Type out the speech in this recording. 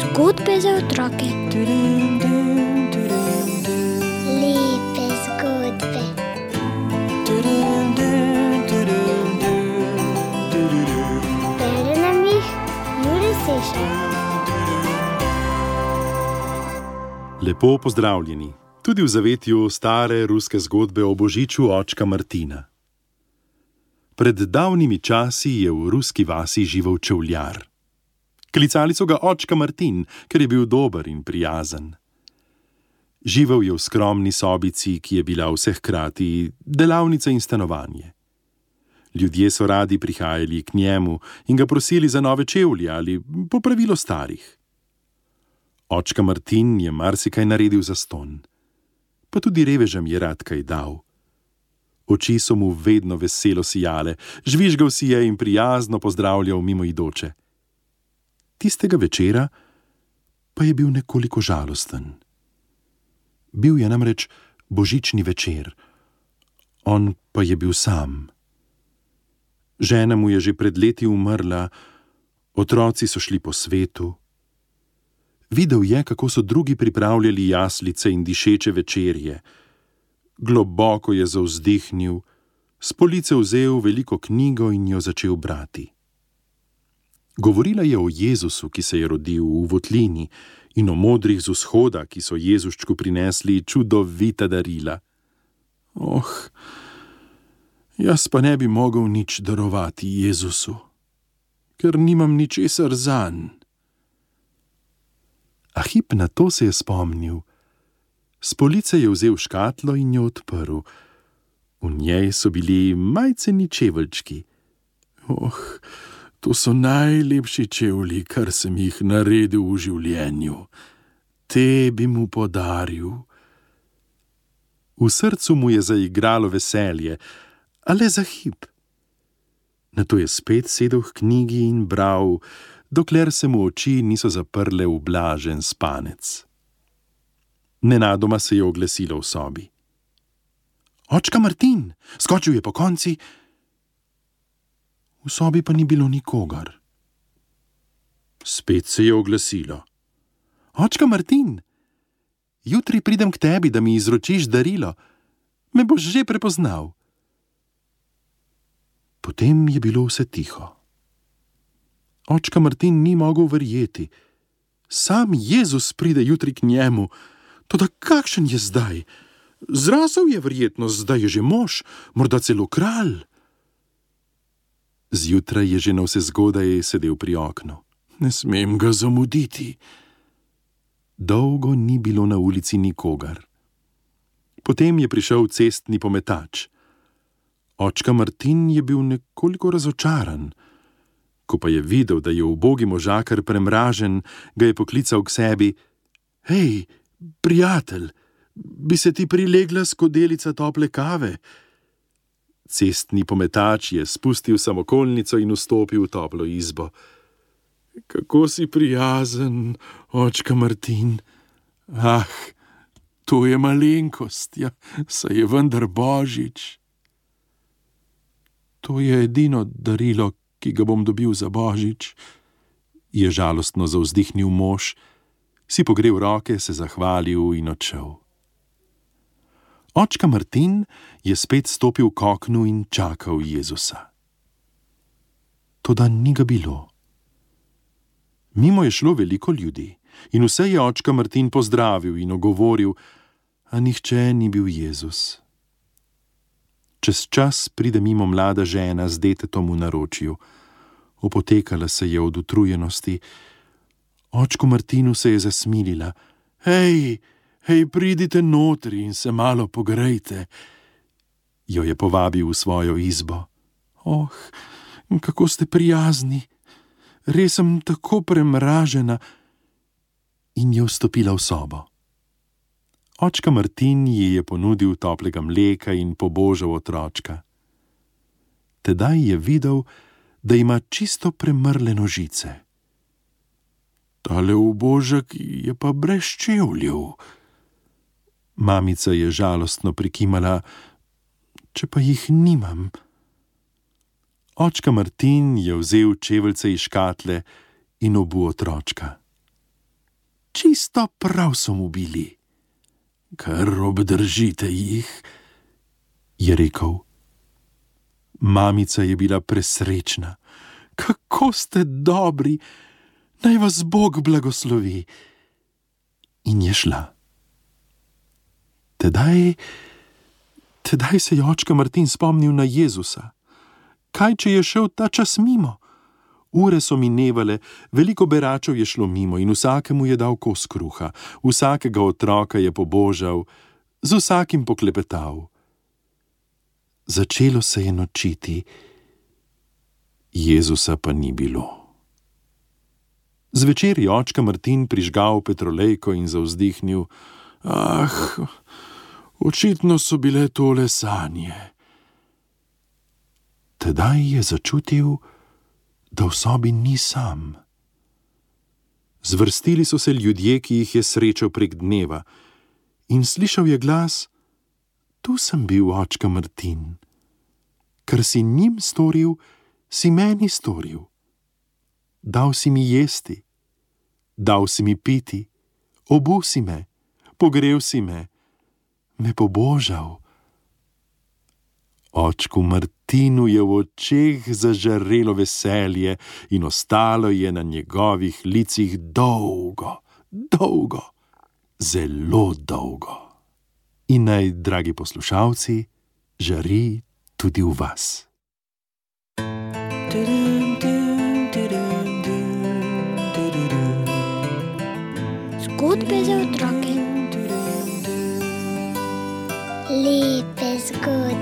Zgodbe za otroke. Lepe zgodbe. Bere nam jih Jure Sešar. Lepo pozdravljeni, tudi v zavetju stare ruske zgodbe o božiču očka Martina. Pred davnimi časi je v ruski vasi živel čevljar. Klicali so ga očka Martin, ker je bil dober in prijazen. Živel je v skromni sobici, ki je bila vse hkrati delavnica in stanovanje. Ljudje so radi prihajali k njemu in ga prosili za nove čevlje ali popravilo starih. Očka Martin je marsikaj naredil zastonj, pa tudi revežem je rad kaj dal. Oči so mu vedno veselo sijale, žvižgal si je in prijazno pozdravljal mimoidoče. Tistega večera pa je bil nekoliko žalosten. Bil je namreč božični večer, on pa je bil sam. Žena mu je že pred leti umrla, otroci so šli po svetu. Videl je, kako so drugi pripravljali jaslice in dišeče večerje. Globoko je zavzdihnil, s police vzel veliko knjigo in jo začel brati. Govorila je o Jezusu, ki se je rodil v votlini, in o modrih z vzhoda, ki so Jezuščku prinesli čudovita darila. Jaz pa ne bi mogel nič darovati Jezusu, ker nimam ničesar zanj. A hip na to se je spomnil. S police je vzel škatlo in jo odprl. V njej so bili majceni čeveljčki. To so najlepši čevlji, kar sem jih naredil v življenju. Te bi mu podaril. V srcu mu je zaigralo veselje, a le za hip. Nato je spet sedel k knjigi in bral, dokler se mu oči niso zaprle v blažen spanec. Nenadoma se je oglasilo v sobi. Očka Martin, skočil je pokonci. V sobi pa ni bilo nikogar. Spet se je oglasilo. Očka Martin, jutri pridem k tebi, da mi izročiš darilo. Me boš že prepoznal. Potem je bilo vse tiho. Očka Martin ni mogel verjeti. Sam Jezus pride jutri k njemu. Toda kakšen je zdaj? Zrasel je verjetno, zdaj je že mož, morda celo kralj. Zjutraj je že navsezgodaj sedel pri oknu. Ne smem ga zamuditi. Dolgo ni bilo na ulici nikogar. Potem je prišel cestni pometač. Očka Martin je bil nekoliko razočaran. Ko pa je videl, da je ubogi možakar premražen, ga je poklical k sebi. Hej, prijatelj, bi se ti prilegla skodelica tople kave? Cestni pometač je spustil samokolnico in vstopil v toplo izbo. Kako si prijazen, očka Martin. To je malenkost, saj je vendar božič. To je edino darilo, ki ga bom dobil za božič, je žalostno zavzdihnil mož, si pogrel roke, se zahvalil in odšel. Očka Martin je spet stopil k oknu in čakal Jezusa. Toda ni ga bilo. Mimo je šlo veliko ljudi in vse je očka Martin pozdravil in ogovoril, a nihče ni bil Jezus. Čez čas pride mimo mlada žena z detetom v naročju. Opotekala se je od utrujenosti. Očku Martinu se je zasmilila. Hej, pridite notri in se malo pogrejte. Jo je povabil v svojo izbo. Kako ste prijazni. Res sem tako premražena. In je vstopila v sobo. Očka Martin ji je ponudil toplega mleka in pobožal otročka. Tedaj je videl, da ima čisto premrle nožice. Tale ubožek je pa brez čevljev. Mamica je žalostno prikimala, če pa jih nimam. Očka Martin je vzel čeveljce iz škatle in obul otročka. Čisto prav so mu bili. Kar obdržite jih, je rekel. Mamica je bila presrečna. Kako ste dobri, naj vas Bog blagoslovi. In je šla. Tedaj se je očka Martin spomnil na Jezusa. Kaj, če je šel ta čas mimo? Ure so minevale, veliko beračev je šlo mimo in vsakemu je dal kos kruha, vsakega otroka je pobožal, z vsakim poklepetal. Začelo se je nočiti, Jezusa pa ni bilo. Zvečer je očka Martin prižgal petrolejko in zavzdihnil: očitno so bile tole sanje. Tedaj je začutil, da v sobi ni sam. Zvrstili so se ljudje, ki jih je srečal prek dneva, in slišal je glas: Tu sem bil, očka Martin. Kar si njim storil, si meni storil. Dal si mi jesti, dal si mi piti, obul si me, pogrel si me, me pobožal. Očku Martinu je v očeh zažarelo veselje in ostalo je na njegovih licih dolgo, dolgo, zelo dolgo. In naj, dragi poslušalci, žari tudi v vas. Zgodbe za otroke. Lepe zgodbe.